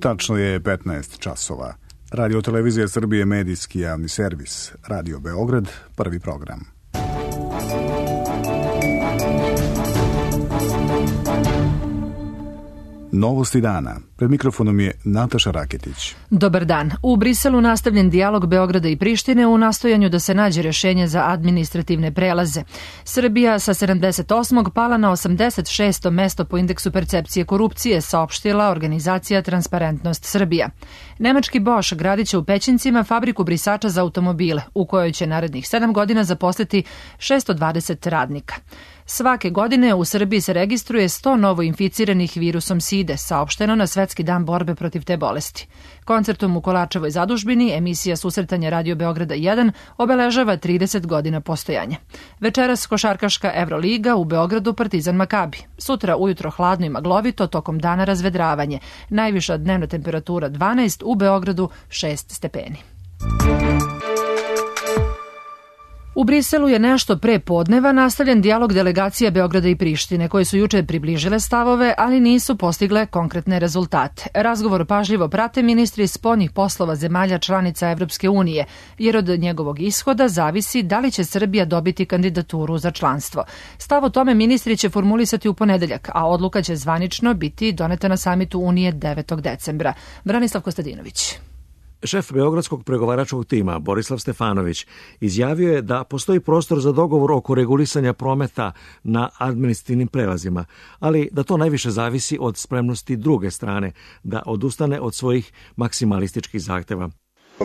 Tačno je 15 časova. Radio Televizija Srbije, medijski javni servis. Radio Beograd, prvi program. Novosti dana. Pred mikrofonom je Nataša Raketić. Dobar dan. U Briselu nastavljen dijalog Beograda i Prištine u nastojanju da se nađe rješenje za administrativne prelaze. Srbija sa 78. pala na 86. mesto po indeksu percepcije korupcije, saopštila organizacija Transparentnost Srbija. Nemački Bosch gradit će u Pećincima fabriku brisača za automobile, u kojoj će narednih 7 godina zaposliti 620 radnika. Svake godine u Srbiji se registruje 100 novo inficiranih virusom SIDE, saopšteno na Svetski dan borbe protiv te bolesti. Koncertom u Kolačevoj zadužbini emisija Susretanja Radio Beograda 1 obeležava 30 godina postojanja. Večeras košarkaška Evroliga, u Beogradu Partizan Makabi. Sutra ujutro hladno i maglovito, tokom dana razvedravanje. Najviša dnevna temperatura 12, u Beogradu 6 stepeni. U Briselu je nešto pre podneva nastavljen dijalog delegacija Beograda i Prištine, koje su juče približile stavove, ali nisu postigle konkretne rezultate. Razgovor pažljivo prate ministri spoljnih poslova zemalja članica Evropske unije, jer od njegovog ishoda zavisi da li će Srbija dobiti kandidaturu za članstvo. Stav o tome ministri će formulisati u ponedeljak, a odluka će zvanično biti doneta na samitu Unije 9. decembra. Branislav Kostadinović. Šef beogradskog pregovaračkog tima, Borislav Stefanović, izjavio je da postoji prostor za dogovor oko regulisanja prometa na administrativnim prelazima, ali da to najviše zavisi od spremnosti druge strane da odustane od svojih maksimalističkih zahteva.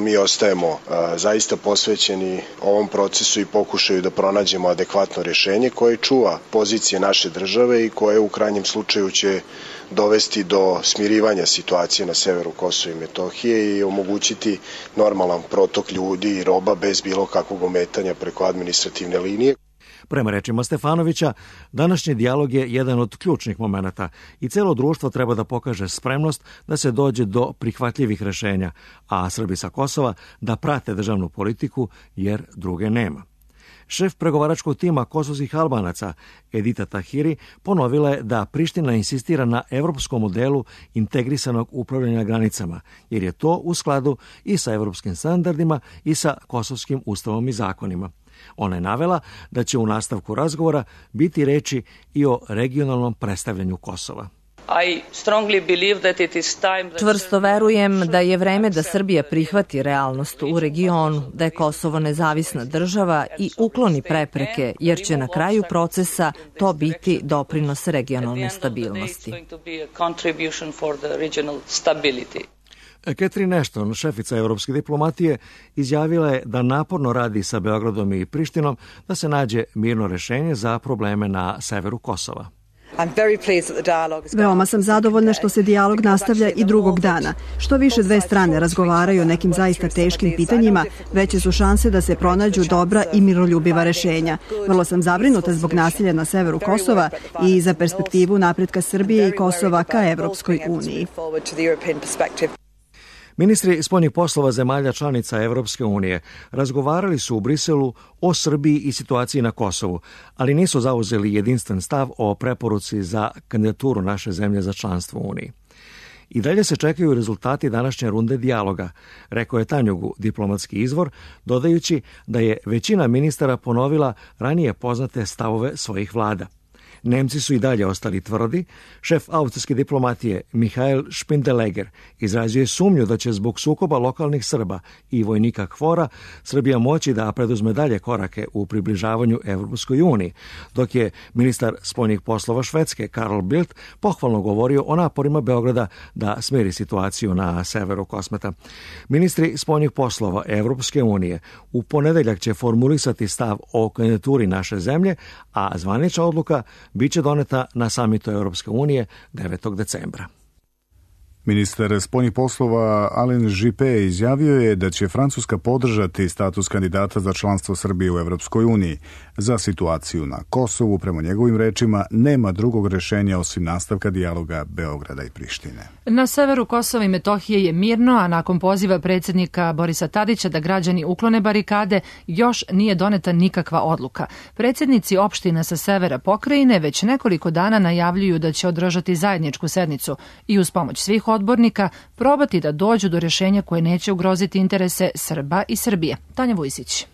Mi ostajemo zaista posvećeni ovom procesu i pokušaju da pronađemo adekvatno rješenje koje čuva pozicije naše države i koje u krajnjem slučaju će dovesti do smirivanja situacije na severu Kosova i Metohije i omogućiti normalan protok ljudi i roba bez bilo kakvog ometanja preko administrativne linije. Prema rečima Stefanovića, današnji dijalog je jedan od ključnih momenata i celo društvo treba da pokaže spremnost da se dođe do prihvatljivih rešenja, a Srbi sa Kosova da prate državnu politiku jer druge nema. Šef pregovaračkog tima kosovskih Albanaca, Edita Tahiri, ponovila je da Priština insistira na evropskom modelu integrisanog upravljanja granicama, jer je to u skladu i sa evropskim standardima i sa kosovskim ustavom i zakonima. Ona je navela da će u nastavku razgovora biti reči i o regionalnom predstavljanju Kosova. Čvrsto verujem da je vreme da Srbija prihvati realnost u regionu, da je Kosovo nezavisna država i ukloni prepreke, jer će na kraju procesa to biti doprinos regionalne stabilnosti. Catherine Ashton, šefica evropske diplomatije, izjavila je da naporno radi sa Beogradom i Prištinom da se nađe mirno rešenje za probleme na severu Kosova. Veoma sam zadovoljna što se dijalog nastavlja i drugog dana. Što više dve strane razgovaraju o nekim zaista teškim pitanjima, veće su šanse da se pronađu dobra i miroljubiva rešenja. Vrlo sam zabrinuta zbog nasilja na severu Kosova i za perspektivu napretka Srbije i Kosova ka Evropskoj uniji. Ministri spoljnih poslova zemalja članica Evropske unije razgovarali su u Briselu o Srbiji i situaciji na Kosovu, ali nisu zauzeli jedinstven stav o preporuci za kandidaturu naše zemlje za članstvo u Uniji. I dalje se čekaju rezultati današnje runde dijaloga, rekao je Tanjugu, diplomatski izvor, dodajući da je većina ministara ponovila ranije poznate stavove svojih vlada. Nemci su i dalje ostali tvrdi. Šef austrijske diplomatije Mihael Spindeleger izrazio sumnju da će zbog sukoba lokalnih Srba i vojnika KFOR-a Srbija moći da preduzme dalje korake u približavanju Evropskoj uniji, dok je ministar spoljnih poslova Švedske Carl Bildt pohvalno govorio o naporima Beograda da smiri situaciju na severu Kosmeta. Ministri spoljnih poslova Evropske unije u ponedeljak će formulisati stav o kandidaturi naše zemlje, a zvanična odluka biće doneta na samitu Europske unije 9. decembra. Ministar spoljnih poslova Alain Juppé izjavio je da će Francuska podržati status kandidata za članstvo Srbije u Evropskoj uniji. Za situaciju na Kosovu, prema njegovim rečima, nema drugog rešenja osim nastavka dijaloga Beograda i Prištine. Na severu Kosova i Metohije je mirno, a nakon poziva predsjednika Borisa Tadića da građani uklone barikade, još nije doneta nikakva odluka. Predsjednici opština sa severa pokrajine već nekoliko dana najavljuju da će održati zajedničku sednicu i uz pomoć svih odbornika probati da dođu do rješenja koje neće ugroziti interese Srba i Srbije. Tanja Vujsić.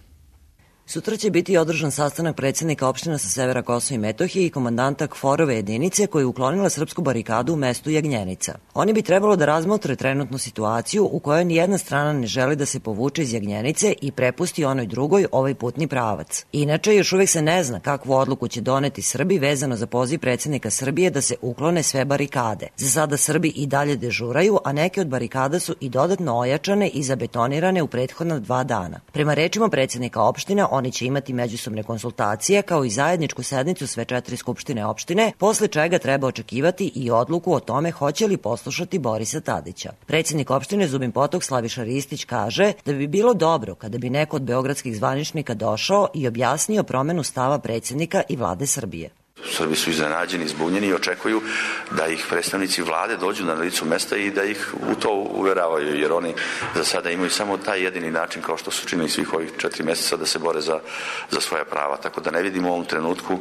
Sutra će biti održan sastanak predsjednika opština sa severa Kosova i Metohije i komandanta KFOR-ove jedinice koja je uklonila srpsku barikadu u mestu Jagnjenica. Oni bi trebalo da razmotre trenutnu situaciju u kojoj nijedna strana ne želi da se povuče iz Jagnjenice i prepusti onoj drugoj ovaj putni pravac. Inače, još uvijek se ne zna kakvu odluku će doneti Srbi vezano za poziv predsjednika Srbije da se uklone sve barikade. Za sada Srbi i dalje dežuraju, a neke od barikada su i dodatno ojačane i zabetonirane u prethodna 2 dana. Prema rečima predsjednika opština, oni će imati međusobne konsultacije kao i zajedničku sednicu sve 4 skupštine opštine, posle čega treba očekivati i odluku o tome hoće li poslušati Borisa Tadića. Predsjednik opštine Zubin Potok Slaviša Ristić kaže da bi bilo dobro kada bi neko od beogradskih zvaničnika došao i objasnio promenu stava predsjednika i vlade Srbije. Srbi su iznenađeni, zbunjeni i očekuju da ih predstavnici vlade dođu na licu mesta i da ih u to uveravaju, jer oni za sada imaju samo taj jedini način, kao što su činili svih ovih 4 mjeseca, da se bore za svoja prava. Tako da ne vidimo u ovom trenutku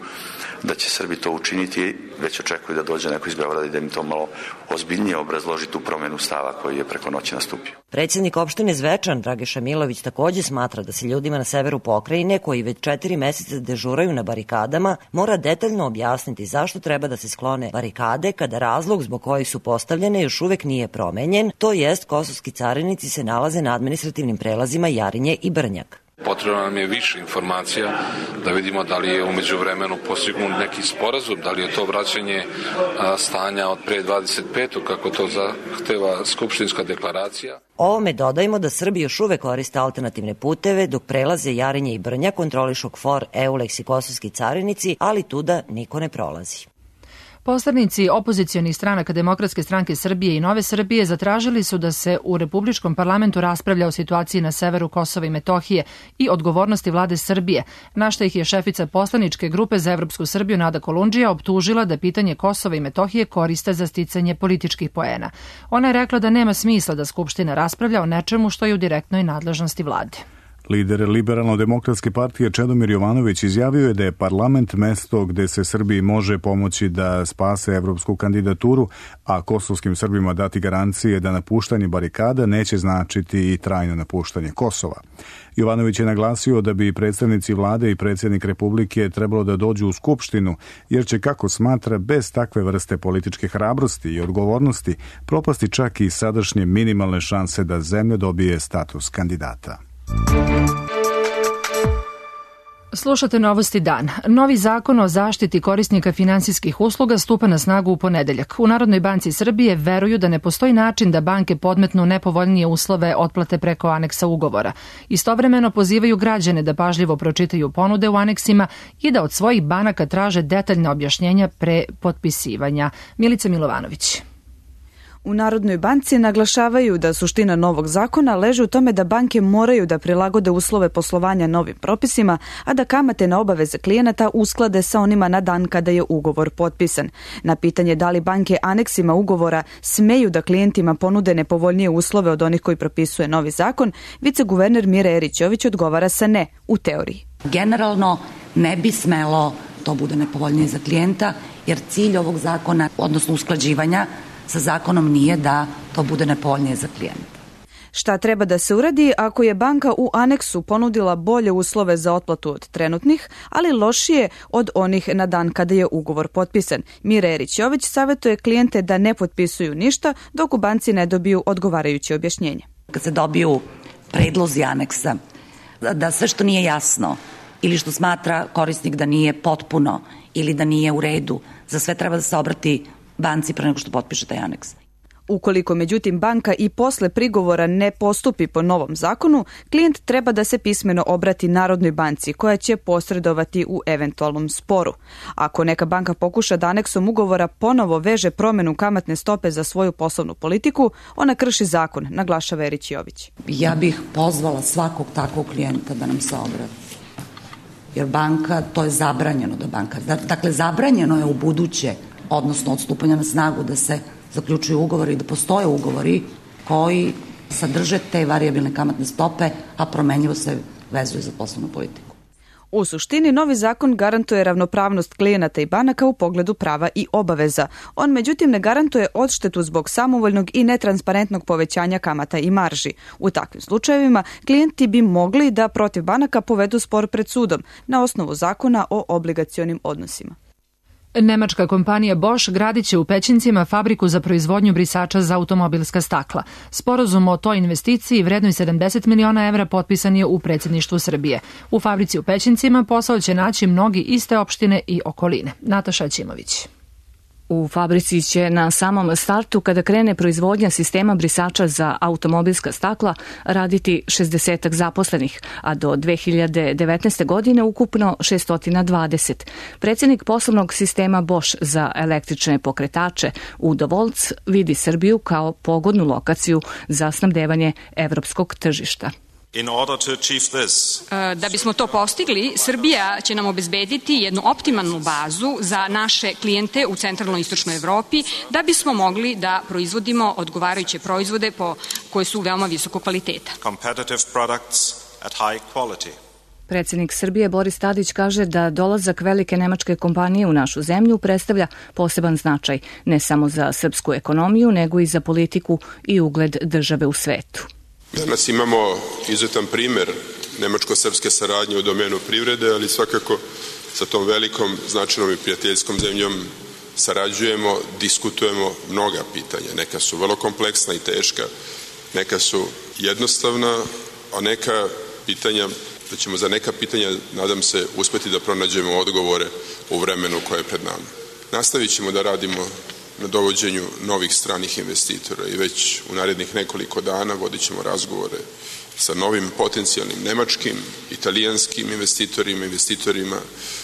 da će Srbi to učiniti, već očekuju da dođe neko iz Beograda i da im to malo ozbiljnije obrazloži tu promenu stava koji je preko noći nastupio. Predsjednik opštine Zvečan, Dragiša Milović, takođe smatra da se ljudima na severu pokrajine, koji već 4 meseca dežuraju na barikadama, mora detaljno objasniti zašto treba da se sklone barikade kada razlog zbog kojih su postavljene još uvek nije promenjen, to jest kosovski carinici se nalaze na administrativnim prelazima Jarinje i Brnjak. Potrebno nam je više informacija da vidimo da li je umeđu vremenu postignut neki sporazum, da li je to vraćanje stanja od pre 25. kako to zahteva skupštinska deklaracija. Ovome dodajmo da Srbi još uvek koriste alternativne puteve dok prelaze Jarinje i Brnjak kontrolišu KFOR, EULEX i kosovski carinici, ali tuda niko ne prolazi. Poslanici opozicionih stranaka Demokratske stranke Srbije i Nove Srbije zatražili su da se u Republičkom parlamentu raspravlja o situaciji na severu Kosova i Metohije i odgovornosti vlade Srbije, na što ih je šefica poslaničke grupe za Evropsku Srbiju Nada Kolundžija optužila da pitanje Kosova i Metohije koriste za sticanje političkih poena. Ona je rekla da nema smisla da Skupština raspravlja o nečemu što je u direktnoj nadležnosti vlade. Lider Liberalno-demokratske partije Čedomir Jovanović izjavio je da je parlament mesto gde se Srbiji može pomoći da spase evropsku kandidaturu, a kosovskim Srbima dati garancije da napuštanje barikada neće značiti i trajno napuštanje Kosova. Jovanović je naglasio da bi predstavnici vlade i predsjednik Republike trebalo da dođu u Skupštinu, jer će, kako smatra, bez takve vrste političke hrabrosti i odgovornosti propasti čak i sadašnje minimalne šanse da zemlja dobije status kandidata. Slušate Novosti dan. Novi zakon o zaštiti korisnika finansijskih usluga stupa na snagu u ponedeljak. U Narodnoj banci Srbije veruju da ne postoji način da banke podmetnu nepovoljnije uslove otplate preko aneksa ugovora. Istovremeno pozivaju građane da pažljivo pročitaju ponude u aneksima i da od svojih banaka traže detaljna objašnjenja pre potpisivanja. Milica Milovanović. U Narodnoj banci naglašavaju da suština novog zakona leži u tome da banke moraju da prilagode uslove poslovanja novim propisima, a da kamate na obaveze klijenata usklade sa onima na dan kada je ugovor potpisan. Na pitanje da li banke aneksima ugovora smeju da klijentima ponude nepovoljnije uslove od onih koji propisuje novi zakon, viceguverner Mira Erićović odgovara sa ne, u teoriji. Generalno ne bi smelo to bude nepovoljnije za klijenta, jer cilj ovog zakona, odnosno usklađivanja sa zakonom, nije da to bude nepovoljnije za klijenta. Šta treba da se uradi ako je banka u aneksu ponudila bolje uslove za otplatu od trenutnih, ali lošije od onih na dan kada je ugovor potpisan? Mira Erićović savjetuje klijente da ne potpisuju ništa dok u banci ne dobiju odgovarajuće objašnjenje. Kad se dobiju predlozi aneksa, da sve što nije jasno ili što smatra korisnik da nije potpuno ili da nije u redu, za sve treba da se obrati banci pre nego što potpiše taj aneks. Ukoliko međutim banka i posle prigovora ne postupi po novom zakonu, klijent treba da se pismeno obrati Narodnoj banci koja će posredovati u eventualnom sporu. Ako neka banka pokuša da aneksom ugovora ponovo veže promenu kamatne stope za svoju poslovnu politiku, ona krši zakon, naglašava Erićović. Ja bih pozvala svakog takvog klijenta da nam se obrati. Jer banka, to je zabranjeno da banka. Dakle, zabranjeno je u buduće, odnosno od stupanja na snagu, da se zaključuju ugovori i da postoje ugovori koji sadrže te varijabilne kamatne stope, a promenljivo se vezuju za poslovnu politiku. U suštini, novi zakon garantuje ravnopravnost klijenata i banaka u pogledu prava i obaveza. On, međutim, ne garantuje odštetu zbog samovoljnog i netransparentnog povećanja kamata i marži. U takvim slučajevima, klijenti bi mogli da protiv banaka povedu spor pred sudom na osnovu zakona o obligacionim odnosima. Nemačka kompanija Bosch gradit će u Pećincima fabriku za proizvodnju brisača za automobilska stakla. Sporazum o toj investiciji vrednoj 70 miliona evra potpisan je u predsjedništvu Srbije. U fabrici u Pećincima posao će naći mnogi iste opštine i okoline. Nataša Ćimović. U fabrici će na samom startu, kada krene proizvodnja sistema brisača za automobilska stakla, raditi 60 zaposlenih, a do 2019. godine ukupno 620. Predsjednik poslovnog sistema Bosch za električne pokretače Udo Volc vidi Srbiju kao pogodnu lokaciju za snabdevanje evropskog tržišta. Da bismo to postigli, Srbija će nam obezbediti jednu optimalnu bazu za naše klijente u centralnoj i istočnoj Evropi, da bismo mogli da proizvodimo odgovarajuće proizvode koje su veoma visokog kvaliteta. Predsjednik Srbije Boris Tadić kaže da dolazak velike nemačke kompanije u našu zemlju predstavlja poseban značaj ne samo za srpsku ekonomiju, nego i za politiku i ugled države u svetu. Danas imamo izuzetan primjer nemačko-srpske saradnje u domenu privrede, ali svakako sa tom velikom, značajnom i prijateljskom zemljom sarađujemo, diskutujemo mnoga pitanja. Neka su vrlo kompleksna i teška, neka su jednostavna, a neka pitanja, da ćemo za neka pitanja, nadam se, uspeti da pronađemo odgovore u vremenu koje je pred nama. Nastavit ćemo da radimo na dovođenju novih stranih investitora i već u narednih nekoliko dana vodit ćemo razgovore sa novim potencijalnim nemačkim, italijanskim investitorima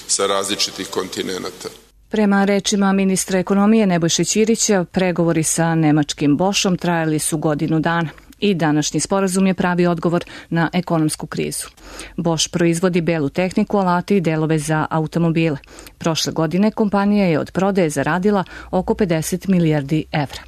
sa različitih kontinenata. Prema rečima ministra ekonomije Nebojše Ćirića, pregovori sa nemačkim Boschom trajali su godinu dana. I današnji sporazum je pravi odgovor na ekonomsku krizu. Bosch proizvodi belu tehniku, alate i delove za automobile. Prošle godine kompanija je od prodaje zaradila oko 50 milijardi evra.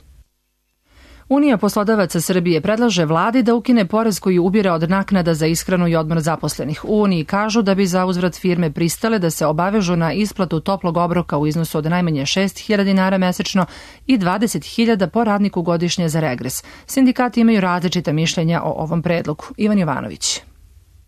Unija poslodavaca Srbije predlaže vladi da ukine porez koji ubire od naknada za ishranu i odmor zaposlenih. U Uniji kažu da bi za uzvrat firme pristale da se obavežu na isplatu toplog obroka u iznosu od najmanje 6.000 dinara mesečno i 20.000 po radniku godišnje za regres. Sindikati imaju različita mišljenja o ovom predlogu. Ivan Jovanović.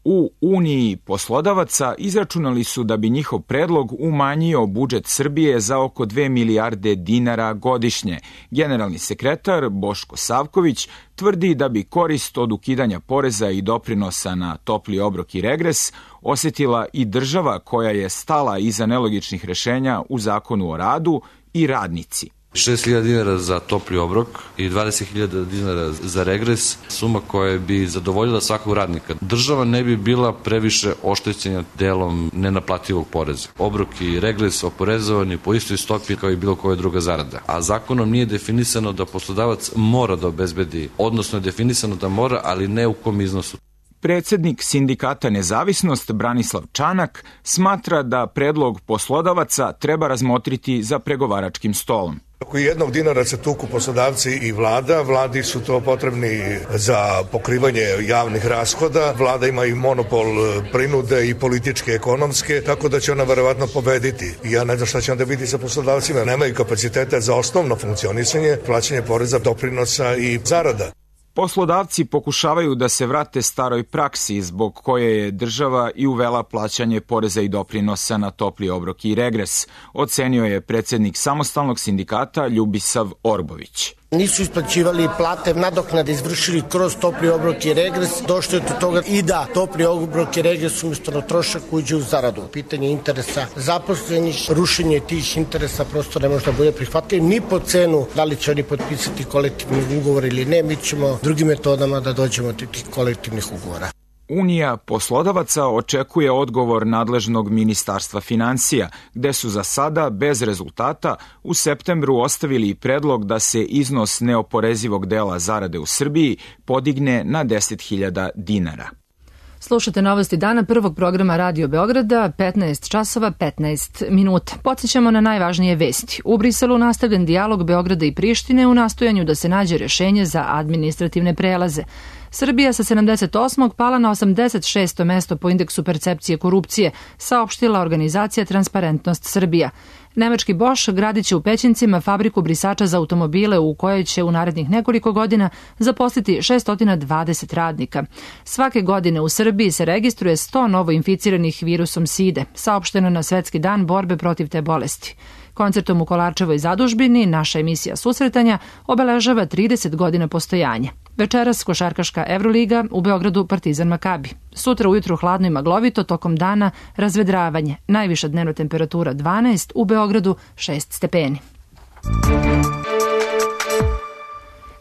U Uniji poslodavaca izračunali su da bi njihov predlog umanjio budžet Srbije za oko 2 milijarde dinara godišnje. Generalni sekretar Boško Savković tvrdi da bi korist od ukidanja poreza i doprinosa na topli obrok i regres osetila i država koja je stala iza nelogičnih rešenja u Zakonu o radu i radnici. 6.000 dinara za topli obrok i 20.000 dinara za regres, suma koja bi zadovoljila svakog radnika. Država ne bi bila previše oštećena delom nenaplativog poreza. Obrok i regres oporezovani po istoj stopi kao i bilo koja druga zarada. A zakonom nije definisano da poslodavac mora da obezbedi, odnosno je definisano da mora, ali ne u kom iznosu. Predsjednik sindikata Nezavisnost Branislav Čanak smatra da predlog poslodavaca treba razmotriti za pregovaračkim stolom. Oko 1 dinara se tuku poslodavci i vlada. Vladi su to potrebni za pokrivanje javnih rashoda. Vlada ima i monopol prinude i političke, ekonomske, tako da će ona verovatno pobediti. Ja ne znam šta će onda biti sa poslodavcima. Nemaju kapacitete za osnovno funkcionisanje, plaćanje poreza, doprinosa i zarada. Poslodavci pokušavaju da se vrate staroj praksi zbog koje je država i uvela plaćanje poreza i doprinosa na topli obrok i regres, ocenio je predsjednik samostalnog sindikata Ljubisav Orbović. Nisu isplaćivali plate, nadoknade izvršili kroz topli obrok i regres, došlo je do toga i da topli obrok i regres umjesto na trošak uđe u zaradu. Pitanje interesa zaposlenih, rušenje tih interesa prosto ne može da bude prihvatljivo ni po cenu da li će oni potpisati kolektivni ugovor ili ne, mi ćemo drugim metodama da dođemo do tih kolektivnih ugovora. Unija poslodavaca očekuje odgovor nadležnog ministarstva financija, gde su za sada bez rezultata u septembru ostavili predlog da se iznos neoporezivog dela zarade u Srbiji podigne na 10.000 dinara. Slušate novosti dana prvog programa Radio Beograda, 15 časova 15 minuta. Podsjećamo na najvažnije vesti. U Briselu nastavljen dijalog Beograda i Prištine u nastojanju da se nađe rešenje za administrativne prelaze. Srbija sa 78. pala na 86. mesto po indeksu percepcije korupcije, saopštila organizacija Transparentnost Srbija. Nemački Bosch gradit će u Pećincima fabriku brisača za automobile u kojoj će u narednih nekoliko godina zaposliti 620 radnika. Svake godine u Srbiji se registruje 100 novo inficiranih virusom side, saopšteno na Svetski dan borbe protiv te bolesti. Koncertom u Kolarčevoj zadužbini naša emisija Susretanja obeležava 30 godina postojanja. Večeras košarkaška Evroliga, u Beogradu Partizan Makabi. Sutra ujutru hladno i maglovito, tokom dana razvedravanje. Najviša dnevna temperatura 12, u Beogradu 6 stepeni.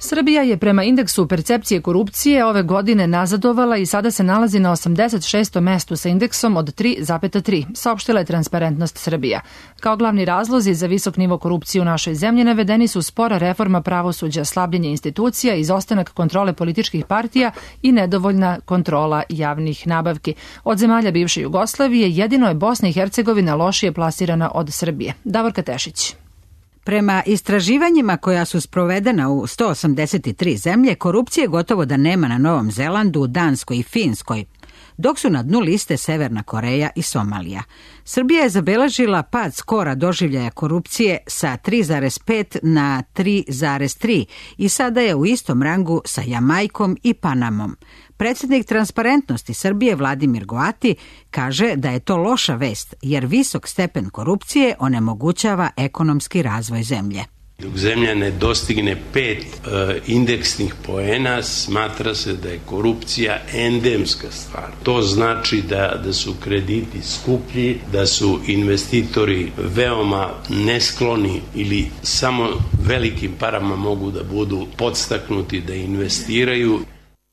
Srbija je prema indeksu percepcije korupcije ove godine nazadovala i sada se nalazi na 86. mestu sa indeksom od 3,3, saopštila je Transparentnost Srbija. Kao glavni razlozi za visok nivo korupcije u našoj zemlji navedeni su spora reforma pravosuđa, slabljenje institucija, izostanak kontrole političkih partija i nedovoljna kontrola javnih nabavki. Od zemalja bivše Jugoslavije jedino je Bosna i Hercegovina lošije plasirana od Srbije. Davorka Tešić. Prema istraživanjima koja su sprovedena u 183 zemlje, korupcije gotovo da nema na Novom Zelandu, Danskoj i Finskoj, dok su na dnu liste Severna Koreja i Somalija. Srbija je zabeležila pad skora doživljaja korupcije sa 3,5 na 3,3 i sada je u istom rangu sa Jamajkom i Panamom. Predsjednik Transparentnosti Srbije Vladimir Goati kaže da je to loša vest jer visok stepen korupcije onemogućava ekonomski razvoj zemlje. Dok zemlja ne dostigne 5 indeksnih poena, smatra se da je korupcija endemska stvar. To znači da su krediti skuplji, da su investitori veoma neskloni ili samo velikim parama mogu da budu podstaknuti da investiraju.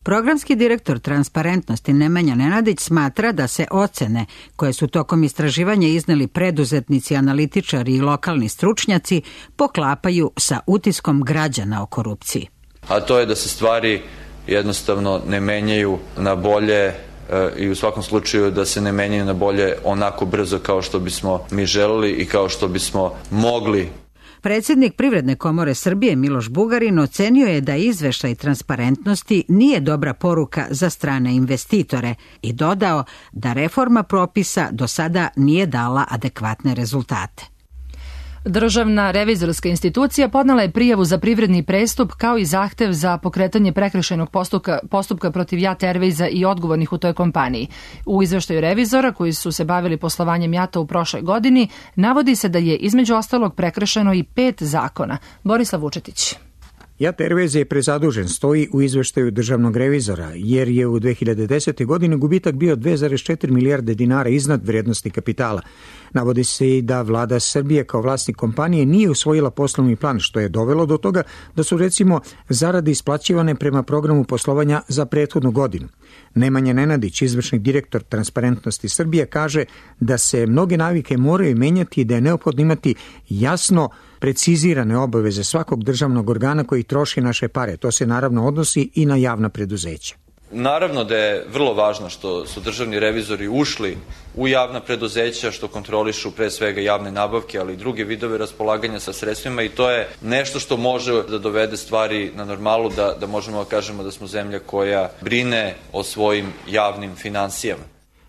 Programski direktor Transparentnosti Nemanja Nenadić smatra da se ocene koje su tokom istraživanja izneli preduzetnici, analitičari i lokalni stručnjaci poklapaju sa utiskom građana o korupciji. A to je da se stvari jednostavno ne menjaju na bolje i u svakom slučaju da se ne menjaju na bolje onako brzo kao što bismo mi želeli i kao što bismo mogli. Predsjednik Privredne komore Srbije Miloš Bugarin ocenio je da izveštaj Transparentnosti nije dobra poruka za strane investitore i dodao da reforma propisa do sada nije dala adekvatne rezultate. Državna revizorska institucija podnela je prijavu za privredni prestup kao i zahtev za pokretanje prekršajnog postupka protiv JAT Airwaysa i odgovornih u toj kompaniji. U izveštaju revizora koji su se bavili poslovanjem JAT-a u prošloj godini navodi se da je između ostalog prekršeno i 5 zakona. Borislav Vučetić. JAT Airways je prezadužen, stoji u izveštaju državnog revizora, jer je u 2010. godini gubitak bio 2,4 milijarde dinara iznad vrednosti kapitala. Navodi se i da vlada Srbije kao vlasnik kompanije nije usvojila poslovni plan, što je dovelo do toga da su recimo zarade isplaćivane prema programu poslovanja za prethodnu godinu. Nemanja Nenadić, izvršni direktor Transparentnosti Srbije, kaže da se mnoge navike moraju menjati i da je neophodno imati jasno precizirane obaveze svakog državnog organa koji troši naše pare. To se naravno odnosi i na javna preduzeća. Naravno da je vrlo važno što su državni revizori ušli u javna preduzeća, što kontrolišu pre svega javne nabavke, ali i druge vidove raspolaganja sa sredstvima i to je nešto što može da dovede stvari na normalu, da možemo da kažemo da smo zemlja koja brine o svojim javnim finansijama.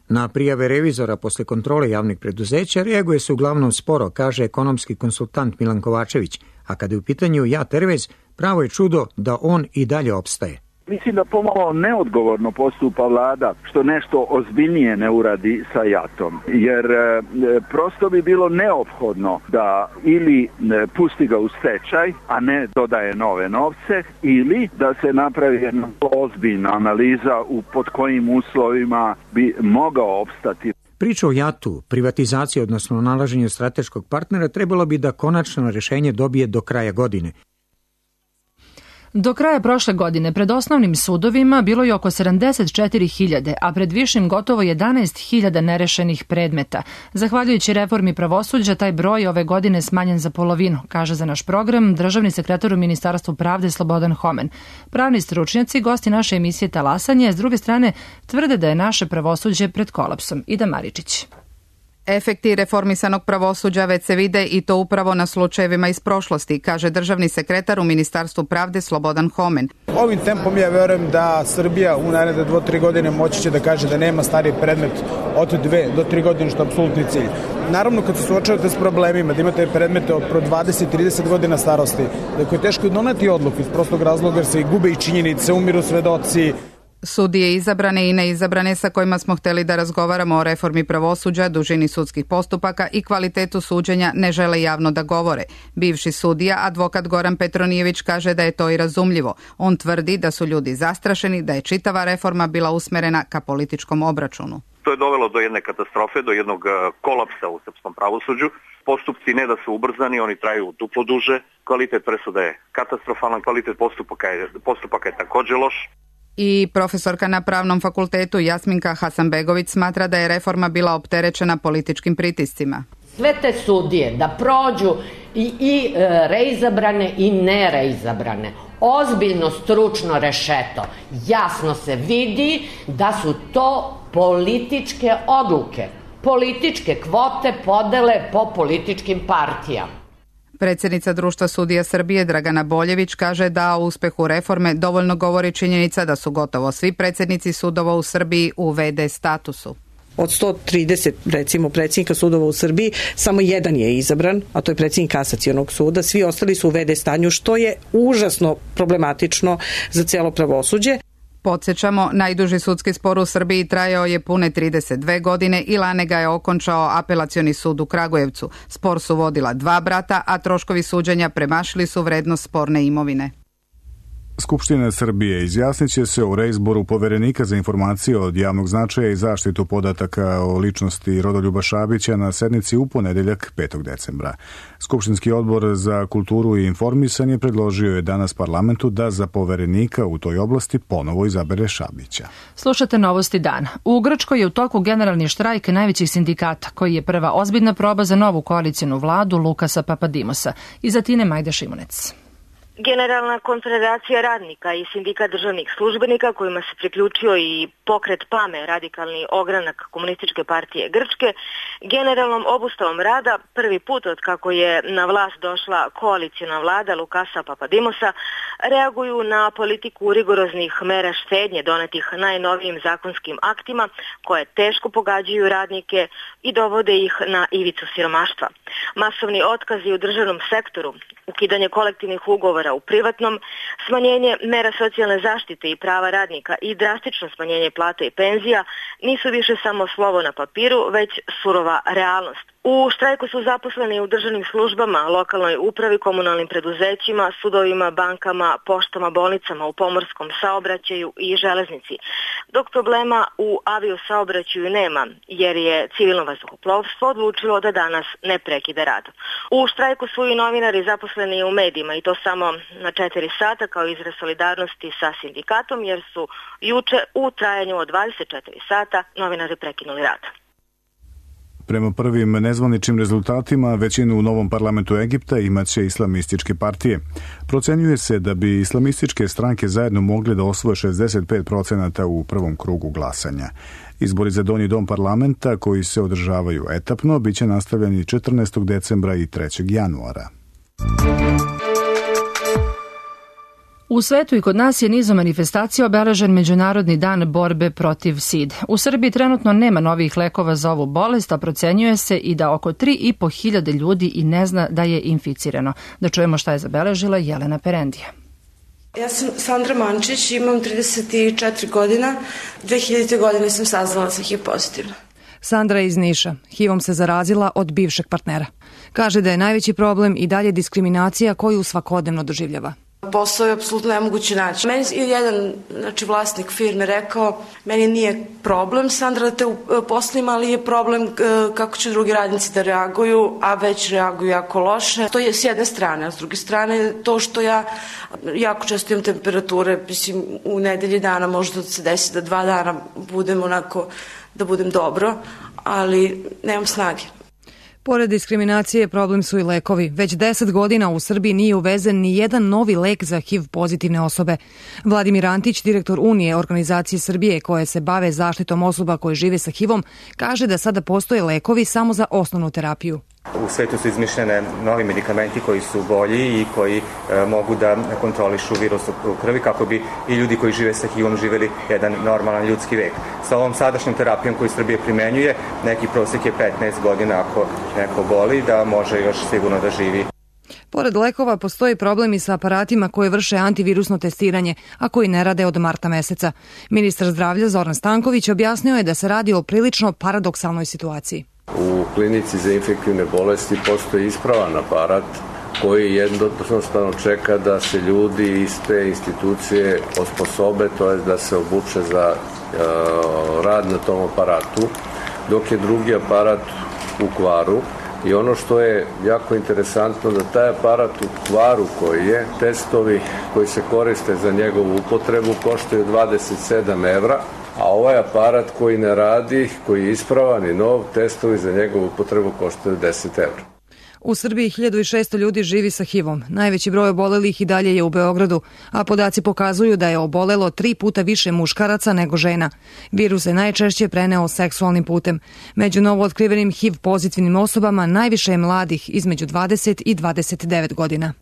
Na prijave revizora posle kontrole javnih preduzeća reaguje se uglavnom sporo, kaže ekonomski konsultant Milan Kovačević, a kada je u pitanju JAT Airways, pravo je čudo da on i dalje opstaje. Mislim da pomalo neodgovorno postupa vlada što nešto ozbiljnije ne uradi sa JAT-om, jer prosto bi bilo neophodno da ili pusti ga u stečaj, a ne dodaje nove novce, ili da se napravi jedna ozbiljna analiza pod kojim uslovima bi mogao opstati. Priča o JAT-u, privatizaciji, odnosno nalaženju strateškog partnera, trebalo bi da konačno rešenje dobije do kraja godine. Do kraja prošle godine pred osnovnim sudovima bilo je oko 74.000, a pred višim gotovo 11.000 nerešenih predmeta. Zahvaljujući reformi pravosuđa, taj broj ove godine smanjen za polovinu, kaže za naš program državni sekretar u Ministarstvu pravde Slobodan Homen. Pravni stručnjaci, gosti naše emisije Talasanje, s druge strane, tvrde da je naše pravosuđe pred kolapsom. Ida Maričić. Efekti reformisanog pravosuđa već se vide i to upravo na slučajevima iz prošlosti, kaže državni sekretar u Ministarstvu pravde Slobodan Homen. Ovim tempom ja verujem da Srbija u naredne 2-3 godine moći će da kaže da nema stari predmet od 2 do 3 godine, što je apsolutni cilj. Naravno, kad se suočavate s problemima, da imate predmete od 20-30 godina starosti, da je teško doneti odluku iz prostog razloga jer se gube i činjenice, umiru svedoci. Sudije izabrane i neizabrane sa kojima smo hteli da razgovaramo o reformi pravosuđa, dužini sudskih postupaka i kvalitetu suđenja ne žele javno da govore. Bivši sudija, advokat Goran Petronijević, kaže da je to i razumljivo. On tvrdi da su ljudi zastrašeni, da je čitava reforma bila usmerena ka političkom obračunu. To je dovelo do jedne katastrofe, do jednog kolapsa u srpskom pravosuđu. Postupci ne da su ubrzani, oni traju duplo duže. Kvalitet presuda je katastrofalan, kvalitet postupaka je također loš. I profesorka na Pravnom fakultetu Jasminka Hasanbegović smatra da je reforma bila opterećena političkim pritiscima. Sve te sudije da prođu i reizabrane i nereizabrane, ozbiljno stručno rešeto, jasno se vidi da su to političke odluke, političke kvote podele po političkim partijama. Predsjednica Društva sudija Srbije Dragana Boljević kaže da o uspehu reforme dovoljno govori činjenica da su gotovo svi predsjednici sudova u Srbiji u VD statusu. Od 130, recimo, predsjednika sudova u Srbiji, samo jedan je izabran, a to je predsjednik Kasacionog suda. Svi ostali su u VD stanju, što je užasno problematično za cijelo pravosuđe. Podsjećamo, najduži sudski spor u Srbiji trajao je pune 32 godine i lane ga je okončao Apelacioni sud u Kragujevcu. Spor su vodila 2 brata, a troškovi suđenja premašili su vrednost sporne imovine. Skupština Srbije izjasnit će se o reizboru poverenika za informacije od javnog značaja i zaštitu podataka o ličnosti Rodoljuba Šabića na sednici u ponedeljak 5. decembra. Skupštinski odbor za kulturu i informisanje predložio je danas parlamentu da za poverenika u toj oblasti ponovo izabere Šabića. Slušate Novosti dana. U Grčkoj je u toku generalni štrajk najvećih sindikata, koji je prva ozbiljna proba za novu koalicijnu vladu Lukasa Papadimosa. Iz Atine Majda Šimunec. Generalna konfederacija radnika i sindikat državnih službenika, kojima se priključio i pokret PAME, radikalni ogranak Komunističke partije Grčke, generalnom obustavom rada prvi put od kako je na vlast došla koalicijna vlada Lukasa Papadimosa reaguju na politiku rigoroznih mera štednje donetih najnovijim zakonskim aktima koje teško pogađaju radnike i dovode ih na ivicu siromaštva. Masovni otkazi u državnom sektoru, ukidanje kolektivnih ugovora u privatnom, smanjenje mera socijalne zaštite i prava radnika i drastično smanjenje plata i penzija nisu više samo slovo na papiru, već surova realnost. U štrajku su zaposleni u državnim službama, lokalnoj upravi, komunalnim preduzećima, sudovima, bankama, poštama, bolnicama, u pomorskom saobraćaju i železnici. Dok problema u aviosaobraćaju nema, jer je civilno vazduhoplovstvo odlučilo da danas ne prekida rad. U štrajku su i novinari zaposleni u medijima i to samo na 4 sata kao izraz solidarnosti sa sindikatom, jer su juče u trajanju od 24 sata novinari prekinuli rad. Prema prvim nezvaničnim rezultatima, većinu u novom parlamentu Egipta imaće islamističke partije. Procenjuje se da bi islamističke stranke zajedno mogle da osvoje 65% u prvom krugu glasanja. Izbori za donji dom parlamenta, koji se održavaju etapno, bit će nastavljeni 14. decembra i 3. januara. U svetu i kod nas je nizom manifestacija obeležen Međunarodni dan borbe protiv side. U Srbiji trenutno nema novih lekova za ovu bolest, a procenjuje se i da oko 3.500 ljudi i ne zna da je inficirano. Da čujemo šta je zabeležila Jelena Perendija. Ja sam Sandra Mančić, imam 34 godina. 2000. godine sam saznala sa HIV pozitivna. Sandra je iz Niša. HIV-om se zarazila od bivšeg partnera. Kaže da je najveći problem i dalje diskriminacija koju svakodnevno doživljava. Posao je apsolutno nemoguće naći. Meni je jedan vlasnik firme rekao, meni nije problem, Sandra, da te uposlim, ali je problem kako će drugi radnici da reaguju, a već reaguju jako loše. To je s jedne strane, a s druge strane to što ja jako često imam temperature, mislim, u nedelji dana možda se desi da 2 dana budem onako, da budem dobro, ali nemam snage. Pored diskriminacije, problem su i lekovi. Već 10 godina u Srbiji nije uvezen ni jedan novi lek za HIV pozitivne osobe. Vladimir Antić, direktor Unije organizacije Srbije koje se bave zaštitom osoba koje žive sa HIV-om, kaže da sada postoje lekovi samo za osnovnu terapiju. U svetu su izmišljene novi medikamenti koji su bolji i koji mogu da kontrolišu virus u krvi kako bi i ljudi koji žive sa HIV-om živeli jedan normalan ljudski vek. Sa ovom sadašnjom terapijom koju Srbija primenjuje, neki prosjek je 15 godina ako neko boli, da može još sigurno da živi. Pored lekova postoji problem i sa aparatima koji vrše antivirusno testiranje, a koji ne rade od marta meseca. Ministar zdravlja Zoran Stanković objasnio je da se radi o prilično paradoksalnoj situaciji. U klinici za infektivne bolesti postoji ispravan aparat koji jednostavno čeka da se ljudi iz te institucije osposobe, to je da se obuče za rad na tom aparatu, dok je drugi aparat u kvaru. I ono što je jako interesantno da taj aparat u kvaru koji je, testovi koji se koriste za njegovu upotrebu koštaju 27 evra, a ovaj aparat koji ne radi, koji je ispravan i nov, testovi za njegovu upotrebu koštaju 10 evra. U Srbiji 1600 ljudi živi sa HIV-om. Najveći broj obolelih i dalje je u Beogradu, a podaci pokazuju da je obolelo 3 puta više muškaraca nego žena. Virus se najčešće preneo seksualnim putem. Među novootkrivenim HIV pozitivnim osobama najviše je mladih između 20 i 29 godina.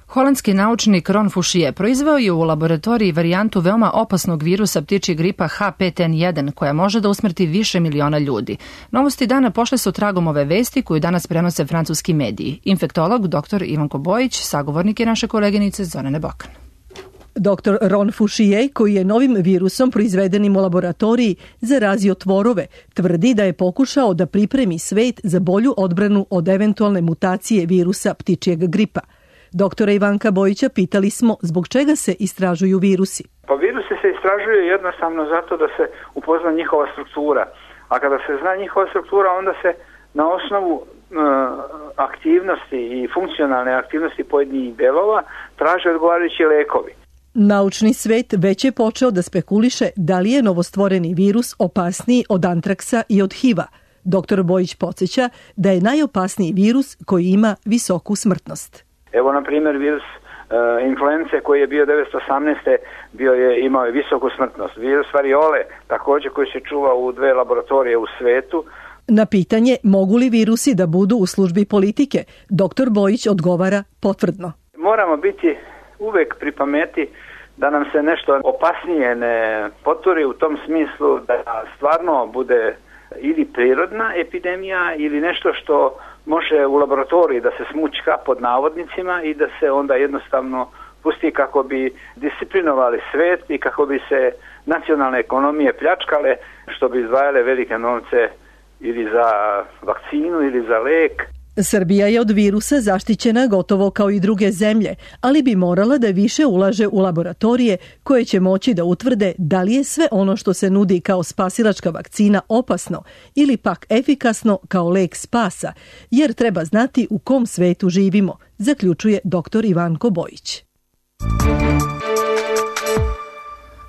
Holandski naučnik Ron Fouchier proizveo je u laboratoriji varijantu veoma opasnog virusa ptičjeg gripa H5N1 koja može da usmrti više miliona ljudi. Novosti dana pošle su tragom ove vesti koju danas prenose francuski mediji. Infektolog dr. Ivanko Bojić, sagovornik je naše koleginice Zorane Bokan. Dr. Ron Fouchier, koji je novim virusom proizvedenim u laboratoriji zarazio tvorove, tvrdi da je pokušao da pripremi svet za bolju odbranu od eventualne mutacije virusa ptičjeg gripa. Doktora Ivanka Bojića pitali smo zbog čega se istražuju virusi. Pa virusi se istražuju jednostavno zato da se upozna njihova struktura. A kada se zna njihova struktura, onda se na osnovu aktivnosti i funkcionalne aktivnosti pojedinih delova traže odgovarajući lekovi. Naučni svet već je počeo da spekuliše da li je novostvoreni virus opasniji od antraksa i od HIV-a. Doktor Bojić podsjeća da je najopasniji virus koji ima visoku smrtnost. Evo, na primjer, virus influence koji je bio 1918. Imao je visoku smrtnost. Virus variole, također, koji se čuva u 2 laboratorije u svetu. Na pitanje mogu li virusi da budu u službi politike, doktor Bojić odgovara potvrdno. Moramo biti uvek pri pameti da nam se nešto opasnije ne poturi u tom smislu da stvarno bude ili prirodna epidemija ili nešto što može u laboratoriji da se smućka pod navodnicima i da se onda jednostavno pusti kako bi disciplinovali svet i kako bi se nacionalne ekonomije pljačkale, što bi izdvajale velike novce ili za vakcinu ili za lek. Srbija je od virusa zaštićena gotovo kao i druge zemlje, ali bi morala da više ulaže u laboratorije koje će moći da utvrde da li je sve ono što se nudi kao spasilačka vakcina opasno ili pak efikasno kao lek spasa, jer treba znati u kom svetu živimo, zaključuje dr. Ivanko Bojić.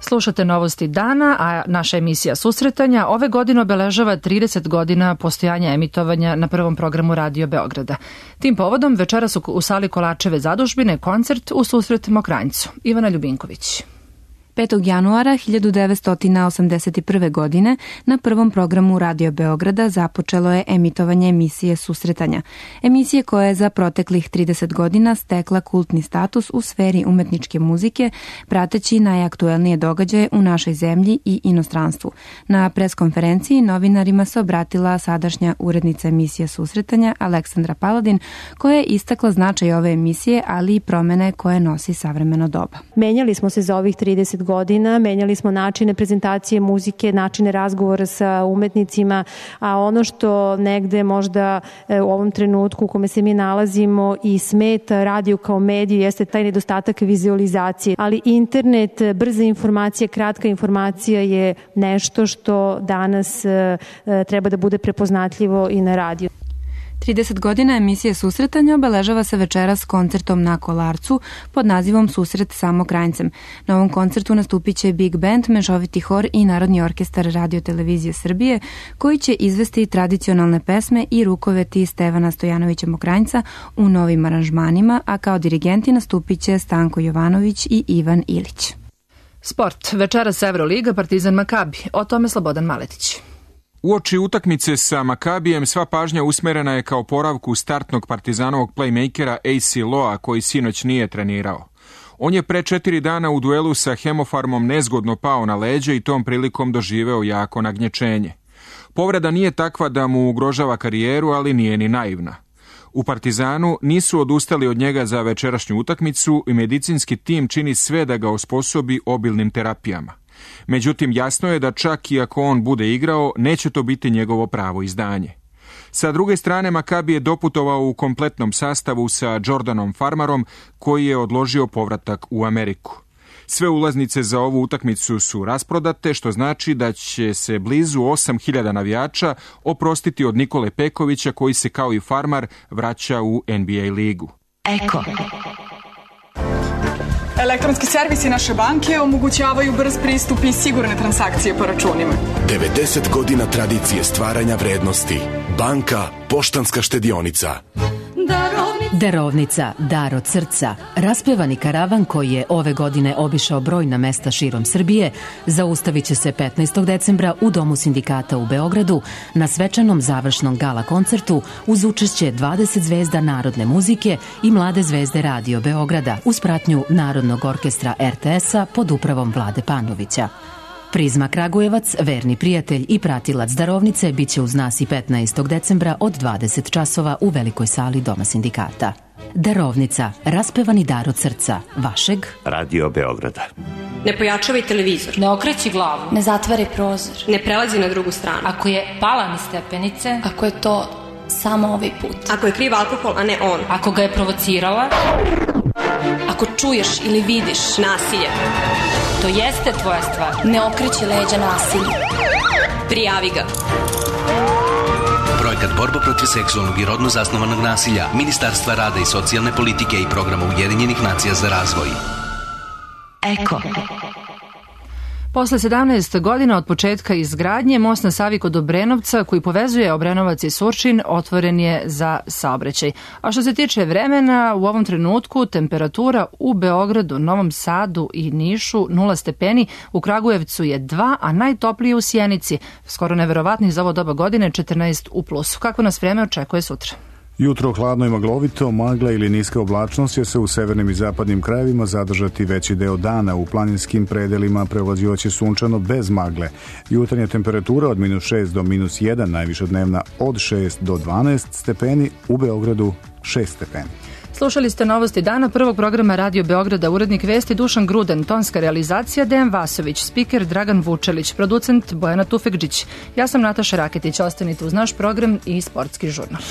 Slušate novosti dana, a naša emisija Susretanja ove godine obeležava 30 godina postojanja emitovanja na prvom programu Radio Beograda. Tim povodom večeras u sali Kolačeve zadužbine koncert U susret Mokranjcu. Ivana Ljubinković. 5. januara 1981. godine na prvom programu Radio Beograda započelo je emitovanje emisije Susretanja. Emisije koja je za proteklih 30 godina stekla kultni status u sferi umetničke muzike, prateći najaktuelnije događaje u našoj zemlji i inostranstvu. Na preskonferenciji novinarima se obratila sadašnja urednica emisije Susretanja Aleksandra Paladin, koja je istakla značaj ove emisije, ali i promene koje nosi savremeno doba. Menjali smo se za ovih 30 godina, menjali smo načine prezentacije muzike, načine razgovora sa umetnicima, a ono što negde možda u ovom trenutku u kome se mi nalazimo i smeta radio kao mediju jeste taj nedostatak vizualizacije, ali internet, brza informacija, kratka informacija je nešto što danas treba da bude prepoznatljivo i na radiju. 30 godina emisije Susretanja obeležava se večeras koncertom na Kolarcu pod nazivom Susret Samokrajncem. Na ovom koncertu nastupit će Big Band, mešoviti hor i Narodni orkestar Radio Televizije Srbije, koji će izvesti tradicionalne pesme i rukoveti Stevana Stojanovića Mokranjca u novim aranžmanima, a kao dirigenti nastupit će Stanko Jovanović i Ivan Ilić. Sport. Večeras Evroliga, Partizan Makabi. O tome Slobodan Maletić. Uoči utakmice sa Makabijem sva pažnja usmerena je kao oporavku startnog Partizanovog playmakera AC Loa, koji sinoć nije trenirao. On je pre 4 dana u duelu sa Hemofarmom nezgodno pao na leđe i tom prilikom doživeo jako nagnječenje. Povreda nije takva da mu ugrožava karijeru, ali nije ni naivna. U Partizanu nisu odustali od njega za večerašnju utakmicu i medicinski tim čini sve da ga osposobi obilnim terapijama. Međutim, jasno je da čak i ako on bude igrao, neće to biti njegovo pravo izdanje. Sa druge strane, Makabi je doputovao u kompletnom sastavu sa Jordanom Farmarom, koji je odložio povratak u Ameriku. Sve ulaznice za ovu utakmicu su rasprodate, što znači da će se blizu 8.000 navijača oprostiti od Nikole Pekovića, koji se kao i Farmar vraća u NBA ligu. Eko. Elektronski servisi naše banke omogućavaju brz pristup i sigurne transakcije po računima. 90 godina tradicije stvaranja vrednosti. Banka Poštanska štedionica. Darovnica, dar od srca. Raspevani karavan koji je ove godine obišao brojna mesta širom Srbije zaustavit će se 15. decembra u Domu sindikata u Beogradu na svečanom završnom gala koncertu uz učešće 20 zvezda narodne muzike i mlade zvezde Radio Beograda uz pratnju Narodnog orkestra RTS-a pod upravom Vlade Panovića. Prizma Kragujevac, verni prijatelj i pratilac darovnice, bit će uz nas i 15. decembra od 20 časova u velikoj sali Doma sindikata. Darovnica, raspevani dar od srca, vašeg Radio Beograda. Ne pojačavaj televizor. Ne okreći glavu. Ne zatvaraj prozor. Ne prelazi na drugu stranu. Ako je pala niz stepenice. Ako je to samo ovaj put. Ako je kriv alkohol, a ne on. Ako ga je provocirala. Ako čuješ ili vidiš nasilje. To jeste tvoja stvar. Ne okreći leđa nasilju. Prijavi ga. Projekat Borba protiv seksualnog i rodno zasnovanog nasilja Ministarstva rada i socijalne politike i Programa Ujedinjenih nacija za razvoj. Eko. Posle 17 godina od početka izgradnje, most na Savi kod Obrenovca, koji povezuje Obrenovac i Surčin, otvoren je za saobraćaj. A što se tiče vremena, u ovom trenutku temperatura u Beogradu, Novom Sadu i Nišu 0 stepeni, u Kragujevcu je 2, a najtoplije u Sjenici, skoro neverovatni za ovo doba godine, 14 u plusu. Kako nas vreme očekuje sutra? Jutro hladno i maglovito, magla ili niska oblačnost će se u severnim i zapadnim krajevima zadržati veći deo dana. U planinskim predelima prevlađivaće sunčano bez magle. Jutarnja temperatura od -6 do -1, najviša dnevna od 6 do 12 stepeni, u Beogradu 6 stepeni. Slušali ste novosti dana prvog programa Radio Beograda, urednik vesti Dušan Gruden, tonska realizacija Dejan Vasović, spiker Dragan Vučelić, producent Bojana Tufekđić. Ja sam Nataša Raketić, ostanite uz naš program i sportski žurnal.